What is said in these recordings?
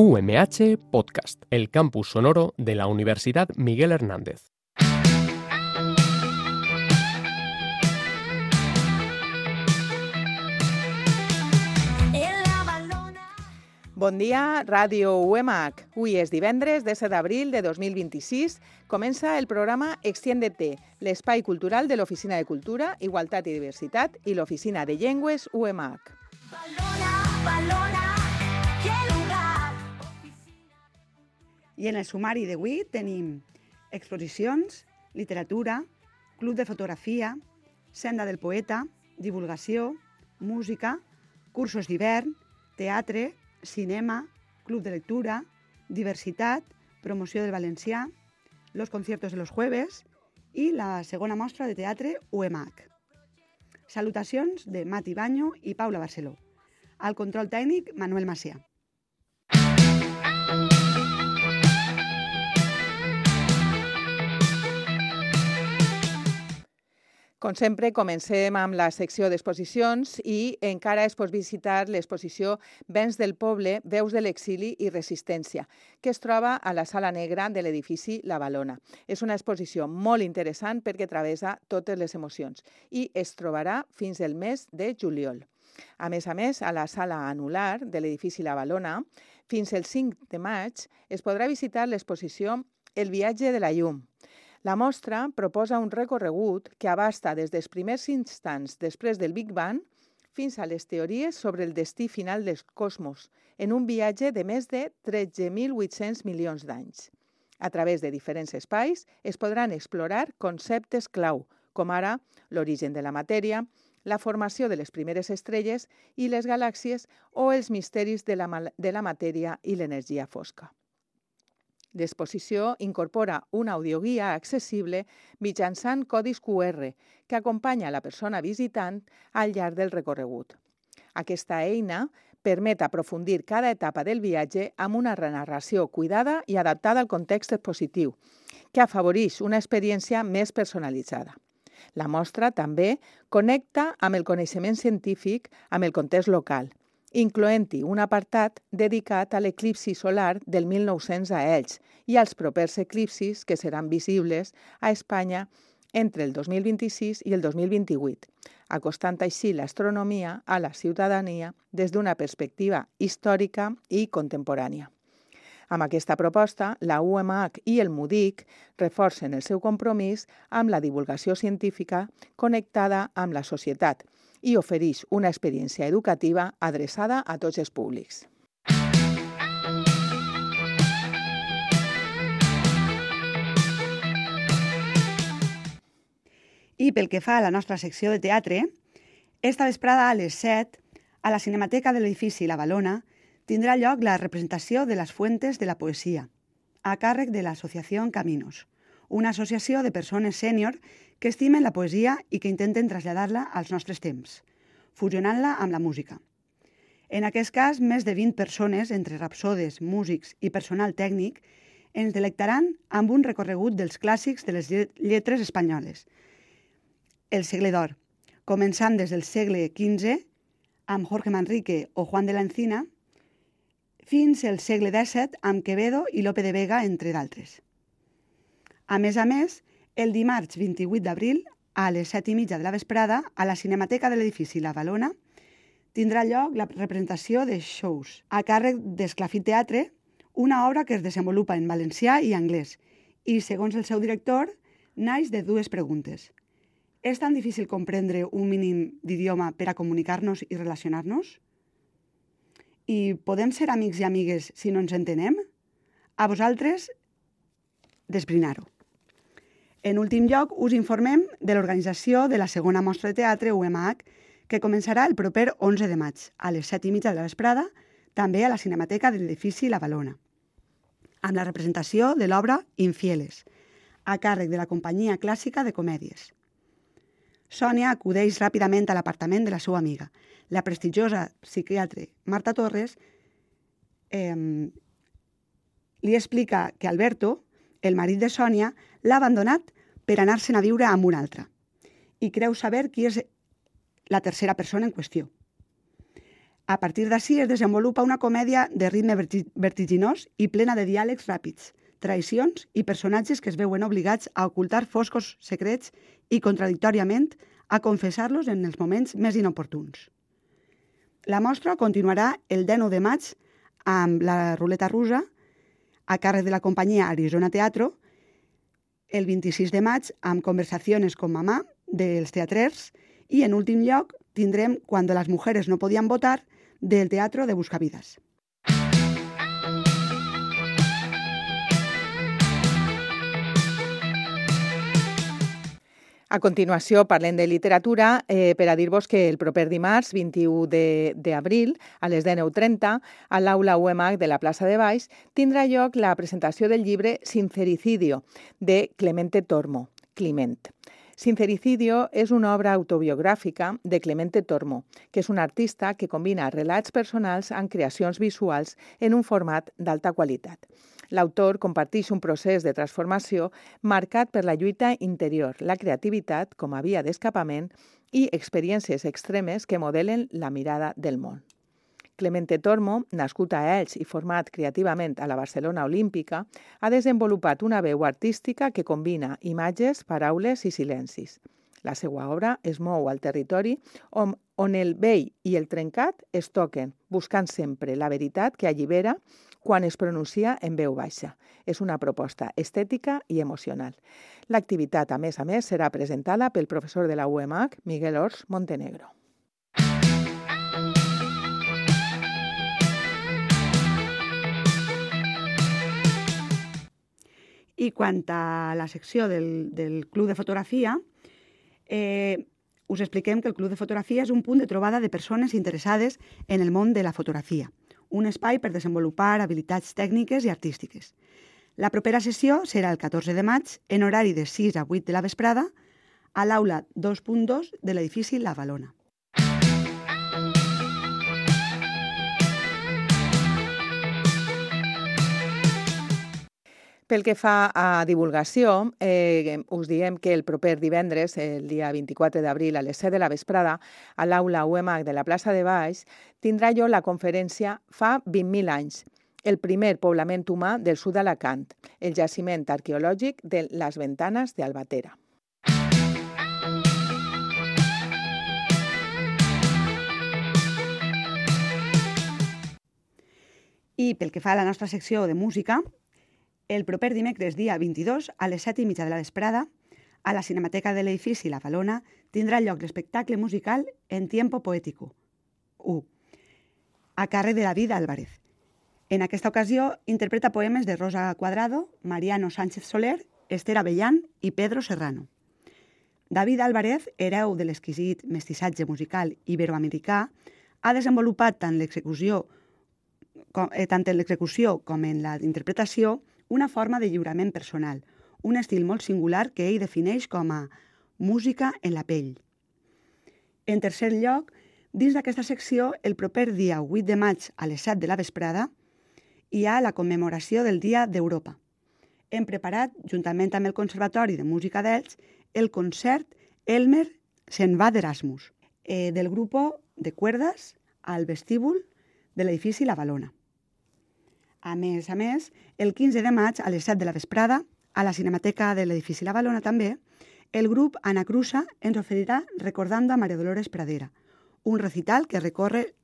UMH Podcast, el campus sonoro de la Universidad Miguel Hernández. Bon dia, Ràdio UMH. Avui és divendres, 17 d'abril de 2026. Comença el programa Extiéndete, l'espai cultural de l'Oficina de Cultura, Igualtat i Diversitat i l'Oficina de Llengües UMH. I en el sumari d'avui tenim exposicions, literatura, club de fotografia, senda del poeta, divulgació, música, cursos d'hivern, teatre, cinema, club de lectura, diversitat, promoció del valencià, los conciertos de los jueves i la segona mostra de teatre UMH. Salutacions de Mati Baño i Paula Barceló. Al control tècnic, Manuel Macià. Com sempre, comencem amb la secció d'exposicions i encara es pot visitar l'exposició Vents del Poble, Veus de l'exili i resistència, que es troba a la Sala Negra de l'edifici La Valona. És una exposició molt interessant perquè travessa totes les emocions i es trobarà fins el mes de juliol. A més, a la Sala Anular de l'edifici La Valona, fins el 5 de maig es podrà visitar l'exposició El viatge de la llum. La mostra proposa un recorregut que abasta des dels primers instants després del Big Bang fins a les teories sobre el destí final del cosmos, en un viatge de més de 13.800 milions d'anys. A través de diferents espais es podran explorar conceptes clau, com ara l'origen de la matèria, la formació de les primeres estrelles i les galàxies o els misteris de la matèria i l'energia fosca. L'exposició incorpora una audioguia accessible mitjançant codis QR que acompanya la persona visitant al llarg del recorregut. Aquesta eina permet aprofundir cada etapa del viatge amb una narració cuidada i adaptada al context expositiu, que afavoreix una experiència més personalitzada. La mostra també connecta amb el coneixement científic amb el context local, incloent-hi un apartat dedicat a l'eclipsi solar del 1900 a Elx i als propers eclipsis que seran visibles a Espanya entre el 2026 i el 2028, acostant així l'astronomia a la ciutadania des d'una perspectiva històrica i contemporània. Amb aquesta proposta, la UMH i el MUDIC reforcen el seu compromís amb la divulgació científica connectada amb la societat i ofereix una experiència educativa adreçada a tots els públics. I pel que fa a la nostra secció de teatre, esta vesprada a les 7, a la Cinemateca de l'edifici La Valona, tindrà lloc la representació de Les Fuentes de la Poesia, a càrrec de l'Associació Caminos, una associació de persones sènior que estimen la poesia i que intenten traslladar-la als nostres temps, fusionant-la amb la música. En aquest cas, més de 20 persones, entre rapsodes, músics i personal tècnic, ens delectaran amb un recorregut dels clàssics de les lletres espanyoles. El segle d'or, començant des del segle XV, amb Jorge Manrique o Juan de la Encina, fins al segle XVII amb Quevedo i Lope de Vega, entre d'altres. A més, el dimarts 28 d'abril, a les 7:30 de la vesprada, a la Cinemateca de l'edifici La Valona, tindrà lloc la representació de Shows, a càrrec d'Esclafit Teatre, una obra que es desenvolupa en valencià i anglès, i, segons el seu director, naix de dues preguntes. És tan difícil comprendre un mínim d'idioma per a comunicar-nos i relacionar-nos? I podem ser amics i amigues si no ens entenem? A vosaltres, d'esbrinar-ho. En últim lloc, us informem de l'organització de la segona mostra de teatre UMH, que començarà el proper 11 de maig, a les 7:30 de la vesprada, també a la Cinemateca de l'edifici La Valona, amb la representació de l'obra Infieles, a càrrec de la Companyia Clàssica de Comèdies. Sònia acudeix ràpidament a l'apartament de la seva amiga, la prestigiosa psiquiatre Marta Torres, li explica que Alberto, el marit de Sònia, l'ha abandonat per anar-se'n a viure amb una altra i creu saber qui és la tercera persona en qüestió. A partir d'ací es desenvolupa una comèdia de ritme vertiginós i plena de diàlegs ràpids, traïcions i personatges que es veuen obligats a ocultar foscos secrets i, contradictòriament, a confessar-los en els moments més inoportuns. La mostra continuarà el 19 de maig amb la ruleta russa a càrrec de la companyia Arizona Teatro, el 26 de maig amb Conversaciones con mamá dels teatrers i, en últim lloc, tindrem Cuando las mujeres no podían votar del Teatro de Buscavidas. A continuació parlem de literatura per a dir-vos que el proper dimarts, 21 d'abril, a les 19:30, a l'aula UEMAC de la plaça de Baix, tindrà lloc la presentació del llibre Sincericidio, de Clemente Tormo, Climent. Sincericidio és una obra autobiogràfica de Clemente Tormo, que és un artista que combina relats personals amb creacions visuals en un format d'alta qualitat. L'autor comparteix un procés de transformació marcat per la lluita interior, la creativitat com a via d'escapament i experiències extremes que modelen la mirada del món. Clemente Tormo, nascut a Elx i format creativament a la Barcelona Olímpica, ha desenvolupat una veu artística que combina imatges, paraules i silencis. La seva obra es mou al territori on el vell i el trencat es toquen, buscant sempre la veritat que allibera quan es pronuncia en veu baixa. És una proposta estètica i emocional. L'activitat, a més, serà presentada pel professor de la UEMAC, Miguel Ors Montenegro. I quant a la secció del Club de Fotografia, us expliquem que el Club de Fotografia és un punt de trobada de persones interessades en el món de la fotografia, un espai per desenvolupar habilitats tècniques i artístiques. La propera sessió serà el 14 de maig, en horari de 6 a 8 de la vesprada, a l'aula 2.2 de l'edifici La Valona. Pel que fa a divulgació, us diem que el proper divendres, el dia 24 d'abril, a les 7 de la vesprada, a l'aula UEMAC de la plaça de Baix, tindrà lloc la conferència Fa 20.000 anys, el primer poblament humà del sud d'Alacant, el jaciment arqueològic de les Ventanes d'Albatera. I pel que fa a la nostra secció de música, el proper dimecres, dia 22, a les 7:30 de la vesprada, a la Cinemateca de l'edifici La Valona, tindrà lloc l'espectacle musical En tiempo poético, 1, a càrrec de David Álvarez. En aquesta ocasió, interpreta poemes de Rosa Cuadrado, Mariano Sánchez Soler, Esther Avellán i Pedro Serrano. David Álvarez, hereu de l'exquisit mestissatge musical iberoamericà, ha desenvolupat tant en l'execució com en la interpretació una forma de lliurament personal, un estil molt singular que ell defineix com a música en la pell. En tercer lloc, dins d'aquesta secció, el proper dia 8 de maig a les 7 de la vesprada, hi ha la commemoració del Dia d'Europa. Hem preparat, juntament amb el Conservatori de Música d'Elx, el concert Elmer se'n va d'Erasmus, del grup de cuerdas al vestíbul de l'edifici La Valona. A més, el 15 de maig a les 7 de la vesprada, a la Cinemateca de l'edifici La Valona també, el grup Anacrusa ens oferirà Recordando a María Dolores Pradera, un recital que recorre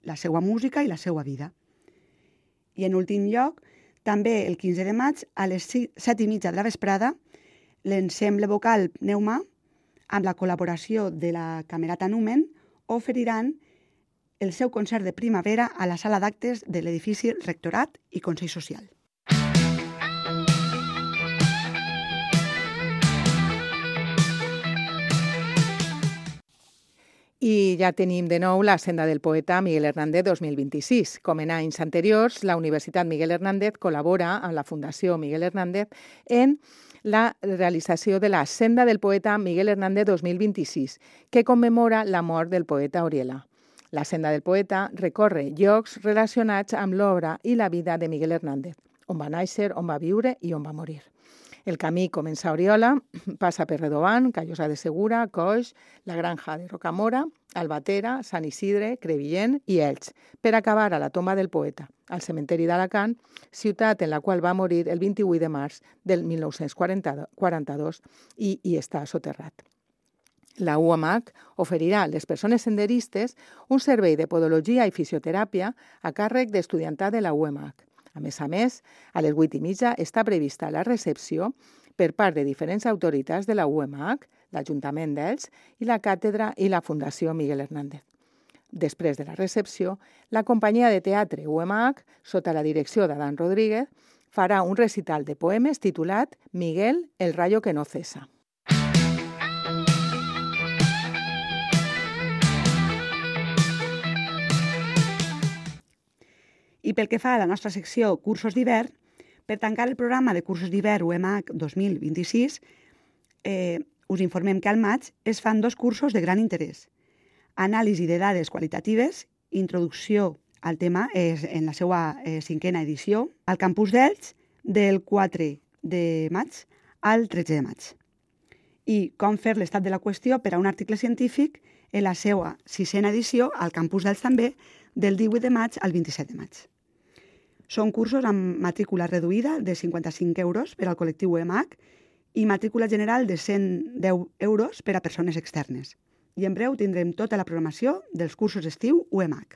la seva música i la seva vida. I en últim lloc, també el 15 de maig, a les 7:30 de la vesprada, l'ensemble vocal Pneuma, amb la col·laboració de la Camerata Numen, oferiran el seu concert de primavera a la sala d'actes de l'edifici Rectorat i Consell Social. I ja tenim de nou la Senda del Poeta Miguel Hernández 2026. Com en anys anteriors, la Universitat Miguel Hernández col·labora amb la Fundació Miguel Hernández en la realització de la Senda del Poeta Miguel Hernández 2026, que commemora la mort del poeta Oriela. La Senda del Poeta recorre llocs relacionats amb l'obra i la vida de Miguel Hernández, on va néixer, on va viure i on va morir. El camí comença a Oriola, passa per Redovant, Callosa de Segura, Coix, la Granja de Rocamora, Albatera, Sant Isidre, Crevillent i Elx, per acabar a la tomba del poeta, al cementeri d'Alacant, ciutat en la qual va morir el 28 de març del 1942 i hi està soterrat. La UAMH oferirà a les persones senderistes un servei de podologia i fisioteràpia a càrrec d'estudiantat de la UAMH. A més, a les 8:30 està prevista la recepció per part de diferents autoritats de la UAMH, l'Ajuntament d'Elx i la Càtedra i la Fundació Miguel Hernández. Després de la recepció, la companyia de teatre UAMH, sota la direcció d'Adán Rodríguez, farà un recital de poemes titulat Miguel, el rayo que no cesa. I pel que fa a la nostra secció Cursos d'hivern, per tancar el programa de cursos d'hivern UMH 2026, us informem que al maig es fan 2 cursos de gran interès. Anàlisi de dades qualitatives, introducció al tema en la seva 5a edició, al campus d'Elx del 4 de maig al 13 de maig. I com fer l'estat de la qüestió per a un article científic en la seva 6a edició al campus d'Elx també del 18 de maig al 27 de maig. Són cursos amb matrícula reduïda de 55 euros per al col·lectiu UMH i matrícula general de 110 euros per a persones externes. I en breu tindrem tota la programació dels cursos d'estiu UMH.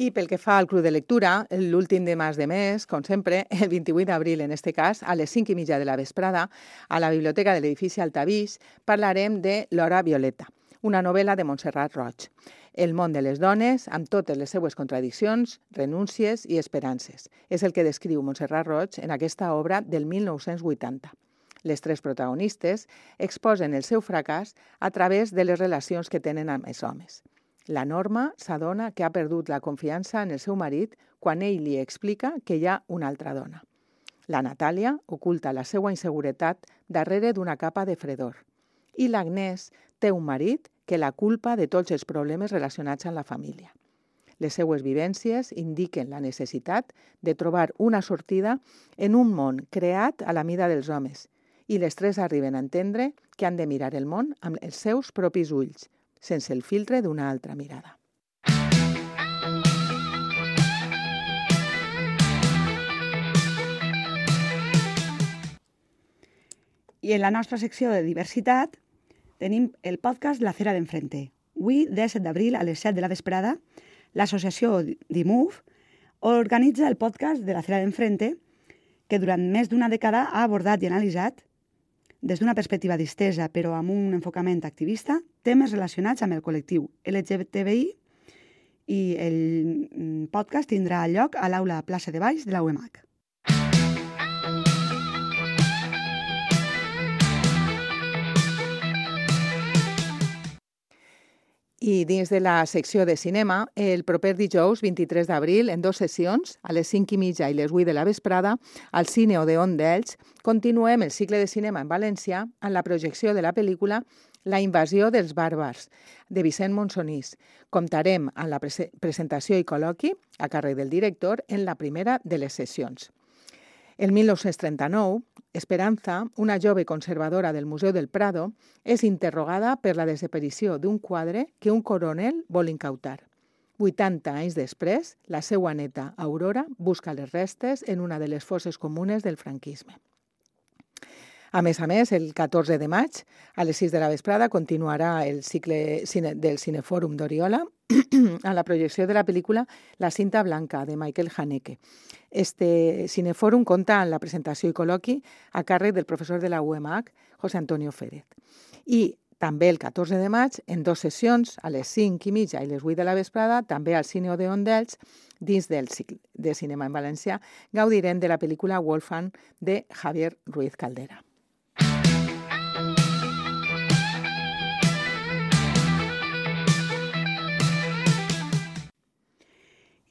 I pel que fa al Club de Lectura, l'últim de mes, com sempre, el 28 d'abril, en este cas, a les 5:30 de la vesprada, a la biblioteca de l'edifici Altavix, parlarem de L'hora violeta, una novel·la de Montserrat Roig. El món de les dones, amb totes les seues contradiccions, renúncies i esperances. És el que descriu Montserrat Roig en aquesta obra del 1980. Les 3 protagonistes exposen el seu fracàs a través de les relacions que tenen amb els homes. La Norma s'adona que ha perdut la confiança en el seu marit quan ell li explica que hi ha una altra dona. La Natàlia oculta la seva inseguretat darrere d'una capa de fredor. I l'Agnès té un marit que la culpa de tots els problemes relacionats amb la família. Les seues vivències indiquen la necessitat de trobar una sortida en un món creat a la mida dels homes i les 3 arriben a entendre que han de mirar el món amb els seus propis ulls, sense el filtre d'una altra mirada. I en la nostra secció de diversitat tenim el podcast La Cera d'Enfrente. Avui, 17 d'abril, a les 7 de la vesprada, l'associació DIMUV organitza el podcast de La Cera d'Enfrente, que durant més d'una dècada ha abordat i analitzat, des d'una perspectiva distesa, però amb un enfocament activista, temes relacionats amb el col·lectiu LGTBI, i el podcast tindrà lloc a l'aula Plaça de Baix de la UMH. I dins de la secció de cinema, el proper dijous 23 d'abril, en 2 sessions, a les 5:30 i les 8 de la vesprada, al Cine Odeon d'Elx, continuem el cicle de cinema en valencià amb la projecció de la pel·lícula La invasió dels bàrbars, de Vicent Monsonís. Comptarem amb la presentació i col·loqui, a càrrec del director, en la primera de les sessions. El 1939, Esperanza, una jove conservadora del Museu del Prado, és interrogada per la desaparició d'un quadre que un coronel vol incautar. 80 anys després, la seva neta, Aurora, busca les restes en una de les fosses comunes del franquisme. A més, el 14 de maig, a les 6 de la vesprada, continuarà el cicle del Cinefòrum d'Oriola a la projecció de la pel·lícula La cinta blanca, de Michael Haneke. Este cinefòrum compta amb la presentació i col·loqui a càrrec del professor de la UMH, José Antonio Férez. I també el 14 de maig, en 2 sessions, a les 5:30 i les 8 de la vesprada, també al Cine Odeon d'Elx, dins del cicle de cinema en valencià, gaudirem de la pel·lícula Wolfgang de Javier Ruiz Caldera.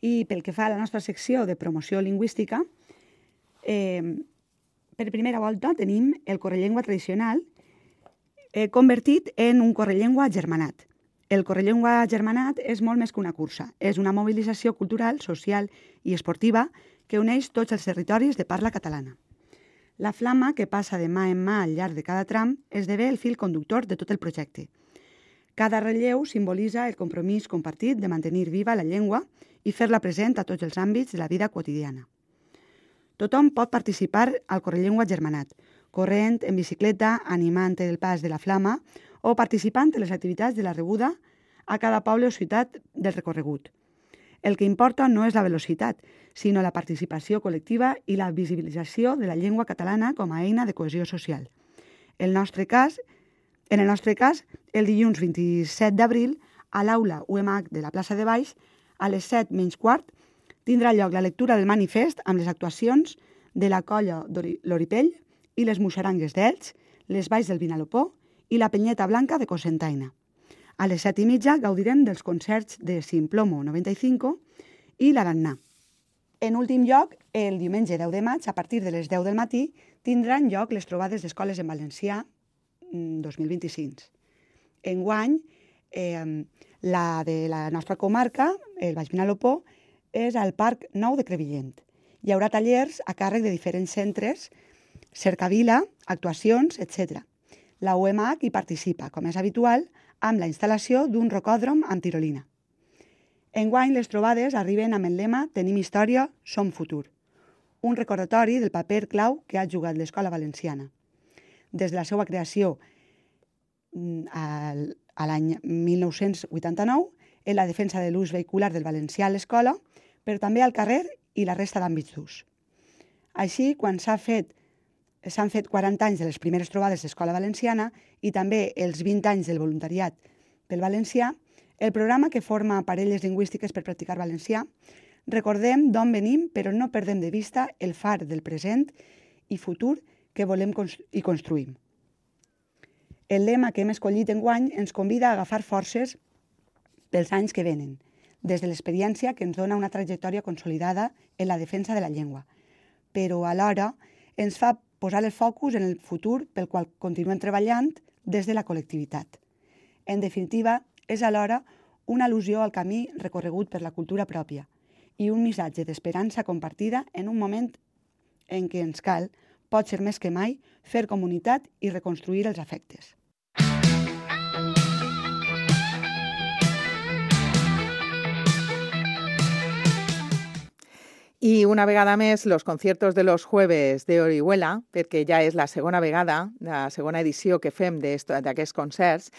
I pel que fa a la nostra secció de promoció lingüística, per primera volta tenim el correllengua tradicional convertit en un correllengua germanat. El Correllengua Germanat és molt més que una cursa. És una mobilització cultural, social i esportiva que uneix tots els territoris de parla catalana. La flama, que passa de mà en mà al llarg de cada tram, esdevé el fil conductor de tot el projecte. Cada relleu simbolitza el compromís compartit de mantenir viva la llengua i fer-la present a tots els àmbits de la vida quotidiana. Tothom pot participar al Correllengua Germanat, corrent, en bicicleta, animant el pas de la flama o participant en les activitats de la rebuda a cada poble o ciutat del recorregut. El que importa no és la velocitat, sinó la participació col·lectiva i la visibilització de la llengua catalana com a eina de cohesió social. En el nostre cas, el dilluns 27 d'abril, a l'aula UMH de la plaça de Baix, a les 7:15, tindrà lloc la lectura del manifest amb les actuacions de la colla Loripell i les Muixerangues d'Elx, les Valls del Vinalopó i la Penyeta Blanca de Cocentaina. A les 7:30 gaudirem dels concerts de Simplomo 95 i l'Arannà. En últim lloc, el diumenge 10 de maig, a partir de les 10 del matí, tindran lloc les trobades d'escoles en valencià 2025. Enguany, la de la nostra comarca, el Baix Vinalopó, és al Parc Nou de Crevillent. Hi haurà tallers a càrrec de diferents centres, cercavila, actuacions, etc. La UMH hi participa, com és habitual, amb la instal·lació d'un rocòdrom amb tirolina. Enguany, les trobades arriben amb el lema «Tenim història, som futur», un recordatori del paper clau que ha jugat l'escola valenciana. Des de la seva creació a l'any 1989, en la defensa de l'ús vehicular del valencià a l'escola, però també al carrer i la resta d'àmbits d'ús. Així, quan s'han fet 40 anys de les primeres trobades d'escola valenciana i també els 20 anys del voluntariat pel valencià, el programa que forma parelles lingüístiques per practicar valencià, recordem d'on venim, però no perdem de vista el far del present i futur que volem i construïm. El lema que hem escollit enguany ens convida a agafar forces pels anys que venen, des de l'experiència que ens dona una trajectòria consolidada en la defensa de la llengua, però alhora ens fa posar el focus en el futur pel qual continuem treballant des de la col·lectivitat. En definitiva, és alhora una al·lusió al camí recorregut per la cultura pròpia i un missatge d'esperança compartida en un moment en què ens cal, pot ser més que mai, fer comunitat i reconstruir els afectes. I una vegada més, los conciertos de los jueves de Orihuela, perquè ja és la segona vegada, la segona edició que fem d'aquests concerts,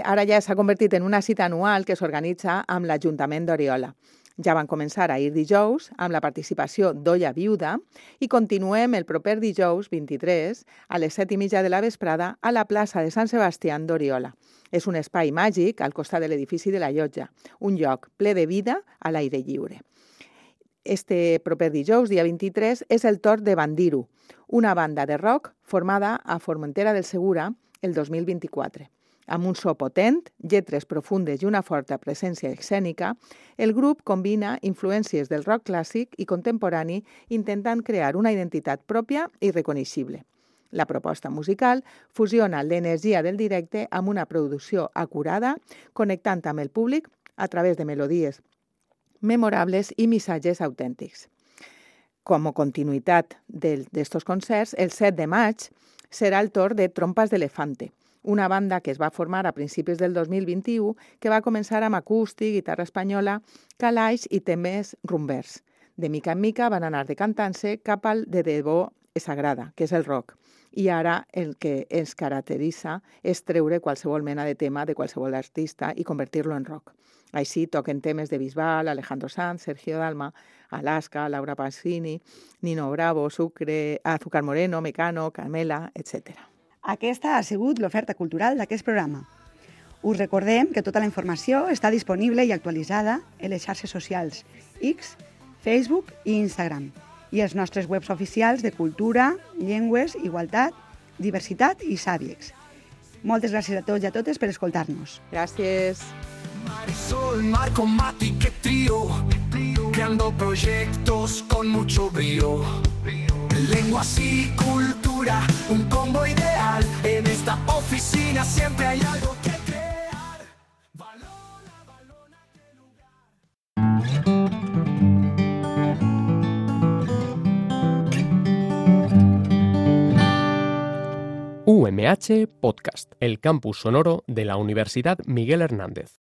ara ja s'ha convertit en una cita anual que s'organitza amb l'Ajuntament d'Oriola. Ja van començar ahir dijous amb la participació d'Olla Viuda i continuem el proper dijous 23 a les 7:30 de la vesprada a la plaça de Sant Sebastià d'Oriola. És un espai màgic al costat de l'edifici de la Llotja, un lloc ple de vida a l'aire lliure. Este proper dijous, dia 23, és el torn de Bandiru, una banda de rock formada a Formentera del Segura el 2024. Amb un so potent, lletres profundes i una forta presència escènica, el grup combina influències del rock clàssic i contemporani intentant crear una identitat pròpia i reconeixible. La proposta musical fusiona l'energia del directe amb una producció acurada, connectant amb el públic a través de melodies memorables i missatges autèntics. Com a continuïtat d'estos concerts, el 7 de maig serà el torn de Trompas d'Elefante, una banda que es va formar a principis del 2021 que va començar amb acústic, guitarra espanyola, calaix i temes rumbers. De mica en mica van anar decantant-se cap al de debò sagrada, que és el rock. I ara el que ens caracteritza és treure qualsevol mena de tema de qualsevol artista i convertir-lo en rock. Així toquen temes de Bisbal, Alejandro Sanz, Sergio Dalma, Alaska, Laura Pausini, Nino Bravo, Sucre, Azúcar Moreno, Mecano, Carmela, etc. Aquesta ha sigut l'oferta cultural d'aquest programa. Us recordem que tota la informació està disponible i actualitzada en les xarxes socials X, Facebook i Instagram i els nostres webs oficials de cultura, llengües, igualtat, diversitat i Sabiex. Moltes gràcies a tots i a totes per escoltar-nos. Gràcies. Marisol, Marco, Mati, qué trío, creando proyectos con mucho brío. Lenguas y cultura, un combo ideal. En esta oficina siempre hay algo que crear. UMH Podcast, el campus sonoro de la Universidad Miguel Hernández.